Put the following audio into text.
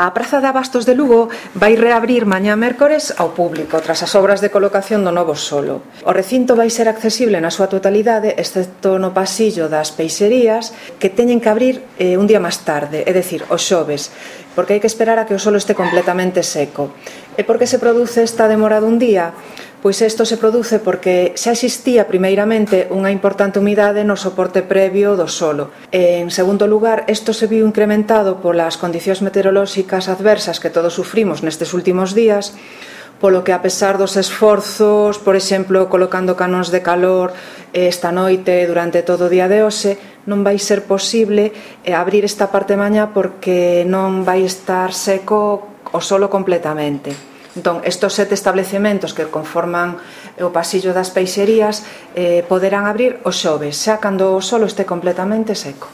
A Praza de Abastos de Lugo vai reabrir mañá mércores ao público tras as obras de colocación do novo solo. O recinto vai ser accesible na súa totalidade, excepto no pasillo das peixerías, que teñen que abrir un día máis tarde, é dicir, o xoves, porque hai que esperar a que o solo este completamente seco. E por que se produce esta demora dun día? Pois isto se produce porque xa existía primeiramente unha importante humidade no soporte previo do solo. En segundo lugar, isto se viu incrementado polas condicións meteorolóxicas adversas que todos sufrimos nestes últimos días, polo que a pesar dos esforzos, por exemplo, colocando canóns de calor esta noite durante todo o día de hoxe, non vai ser posible abrir esta parte mañá porque non vai estar seco o solo completamente. Entón, estes 7 establecementos que conforman o pasillo das peixerías poderán abrir o xoves, xa cando o solo este completamente seco.